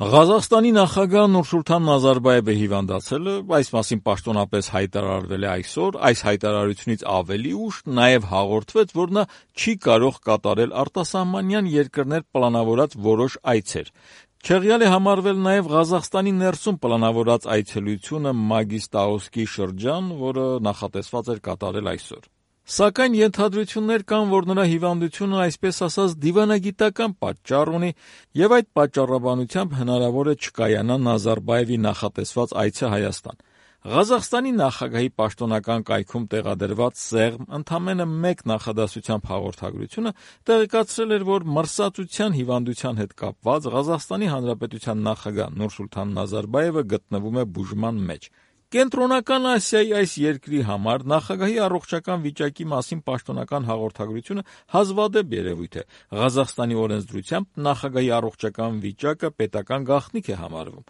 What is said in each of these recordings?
Ղազախստանի նախագահ Նուրսուլթան Նազարբայևը հիվանդացել է, այս մասին պաշտոնապես հայտարարվել է այսօր, այս հայտարարությունից ավելի ուշ նաև հաղորդվեց, որ նա չի կարող կատարել արտասահմանյան երկրներ պլանավորած որոշ այցեր։ Չեղյալ է համարվել նաև Ղազախստանի ներսում պլանավորած այցելությունը Մագիստաուսկի շրջան, որը նախատեսված էր կատարել այսօր։ Սակայն ենթադրություններ կան, որ նրա հիվանդությունը այսպես ասած դիվանագիտական պատճառ ունի եւ այդ պատճառաբանությամբ հնարավոր է չկայանա Նազարբայևի նախատեսված այցը Հայաստան։ Ղազախստանի նախագահի պաշտոնական կայքում տեղադրված սեղմ ընդամենը մեկ նախադասությամբ հաղորդագրությունը տեղեկացրել էր, որ մրսածության հիվանդության հետ կապված Ղազախստանի Հանրապետության նախագահ Նուրսուլթան Նազարբայևը գտնվում է բուժման մեջ։ Կենտրոնական Ասիայի այս երկրի համար նախագահի առողջական վիճակի մասին պաշտոնական հաղորդագրությունը հազվադեպ երևույթ է։ Ղազախստանի օրենսդրությամբ նախագահի առողջական վիճակը պետական գաղտնիք է համարվում։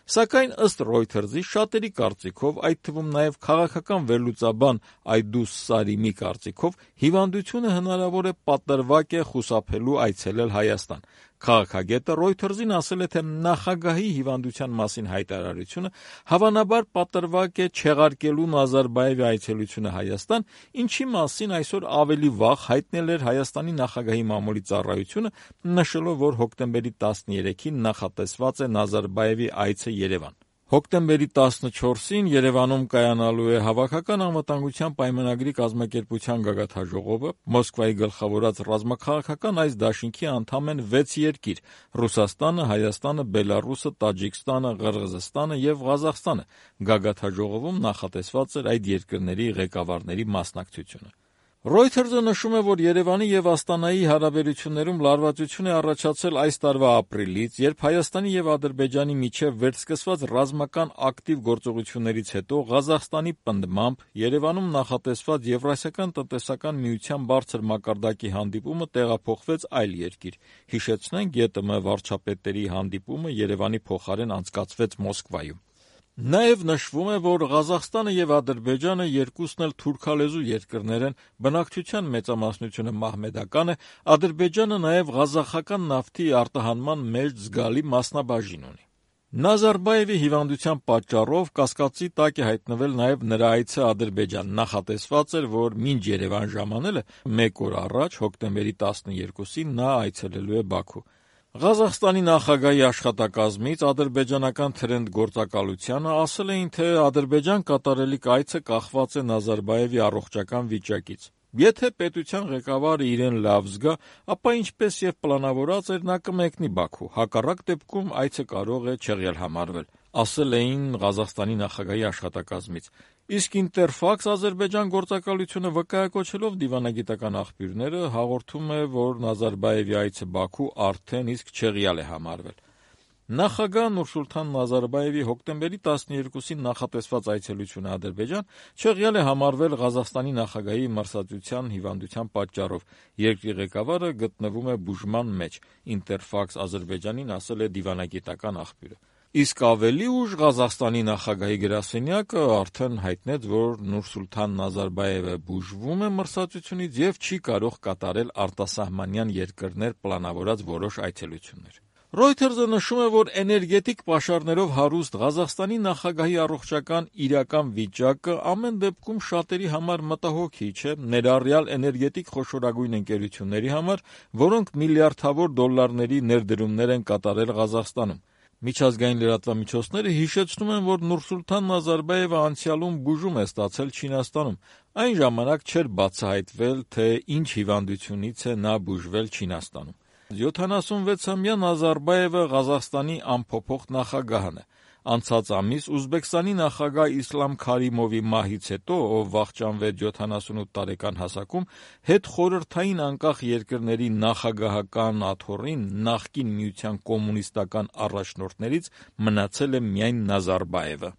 Սակայն ըստ Reuters-ի շատերի կարծիքով, այդ թվում նաև քաղաքական վերլուծաբան Այդուս Սարիմի կարծիքով, հիվանդությունը հնարավոր է պատրվակ է խուսափելու այցելել Հայաստան։ Քաղաքագետը Reuters-ին ասել է, թե նախագահի հիվանդության մասին հայտարարությունը հավանաբար պատրվակ է չեղարկելու Նազարբայևի այցելությունը Հայաստան, ինչի մասին այսօր ավելի վաղ հայտնել էր Հայաստանի նախագահի մամուլի ծառայությունը, նշելով, որ հոկտեմբերի 13-ին նախատեսված է Նազարբայևի այցը Երևան։ Հոկտեմբերի 14-ին Երևանում կայանալու է Հավաքական անվտանգության պայմանագրի կազմակերպության գագաթնաժողովը, Մոսկվայի գլխավորած ռազմաքաղաքական այս դաշինքի անդամ են 6 երկիր՝ Ռուսաստանը, Հայաստանը, Բելառուսը, Տաջիկստանը, Ղրղզստանը եւ Ղազախստանը։ Գագաթնաժողովում նախատեսված էր այդ երկրների ղեկավարների մասնակցությունը։ Reuters-ը նշում է, որ Երևանի եւ Աստանայի հարաբերություններում լարվածություն է առաջացել այս տարվա ապրիլից, երբ Հայաստանի եւ Ադրբեջանի միջև վերսկսված ռազմական ակտիվ գործողություններից հետո Ղազախստանի պնդմամբ Երևանում նախատեսված Եվրասիական տնտեսական միության բարձր մակարդակի հանդիպումը տեղափոխվեց այլ երկիր։ Հիշեցնենք, ԵՏՄ վարչապետերի հանդիպումը Երևանի փոխարեն անցկացվեց Մոսկվայում։ Նաև նշվում է, որ Ղազախստանը եւ Ադրբեջանը երկուսն էլ թուրքալեզու երկրներ են, բնակչության մեծամասնությունը մահմեդական է, Ադրբեջանը նաև ղազախական նավթի արտահանման մեջ զգալի մասնաբաժին ունի։ Նազարբայևի հիվանդության պատճառով կասկածի տակ է հայտնվել նաև նրա այցը Ադրբեջան։ Նախատեսված էր, որ մինչ Երևան ժամանելը մեկ օր առաջ, հոկտեմբերի 12-ին նա այցելելու է Բաքու։ Ղազախստանի նախագահի աշխատակազմից ադրբեջանական Թրենդ գործակալությանը ասել էին, թե Ադրբեջան կատարելիք այցը կախված է Նազարբայևի առողջական վիճակից։ Եթե պետության ղեկավարը իրեն լավ զգա, ապա ինչպես եւ պլանավորած էր, նա կմեկնի Բաքու, հակառակ դեպքում այցը կարող է չեղյալ համարվել, ասել էին Ղազախստանի նախագահի աշխատակազմից։ Իսկ Ինտերֆաքս Ադրբեջան գործակալությունը վկայակոչելով դիվանագիտական աղբյուրները հաղորդում է, որ Նազարբայևի այցը Բաքու արդեն իսկ չեղյալ է համարվել։ Նախագահ Նուրսուլթան Նազարբայևի հոկտեմբերի 12-ին նախատեսված այցելությունը Ադրբեջան չեղյալ է համարվել Ղազախստանի նախագահի մրսածության հիվանդության պատճառով։ Երկրի ղեկավարը գտնվում է բուժման մեջ, Ինտերֆաքս Ադրբեջանին ասել է դիվանագիտական աղբյուրը։ Իսկ ավելի ուշ Ղազախստանի նախագահի գրասենյակը արդեն հայտնեց, որ Նուրսուլթան Նազարբայևը բուժվում է մրսածությունից եւ չի կարող կատարել արտասահմանյան երկրներ պլանավորած որոշ այցելություններ։ Reuters-ը նշում է, որ էներգետիկ պաշարներով հարուստ Ղազախստանի նախագահի առողջական իրական վիճակը ամեն դեպքում շատերի համար մտահոգիչ է, ներառյալ էներգետիկ խոշորագույն ընկերությունների համար, որոնք միլիարդավոր դոլարների ներդրումներ են կատարել Ղազախստանում։ Միջազգային լրատվամիջոցները հիշեցնում են, որ Նուրսուլթան Նազարբայևը անցյալում բուժում է ստացել Չինաստանում։ Այն ժամանակ չէր բացահայտվել, թե ինչ հիվանդությունից է նա բուժվել Չինաստանում։ 76-ամյա Նազարբայևը Ղազախստանի անփոփոխ նախագահն է։ Անցած ամիս Ուզբեկստանի նախագահ Իսլամ Քարիմովի մահից հետո, ով վախճանվեց 78 տարեկան հասակում, հետխորհրդային անկախ երկրների նախագահական աթոռին նախկին միության կոմունիստական առաջնորդներից մնացել է միայն Նազարբայևը։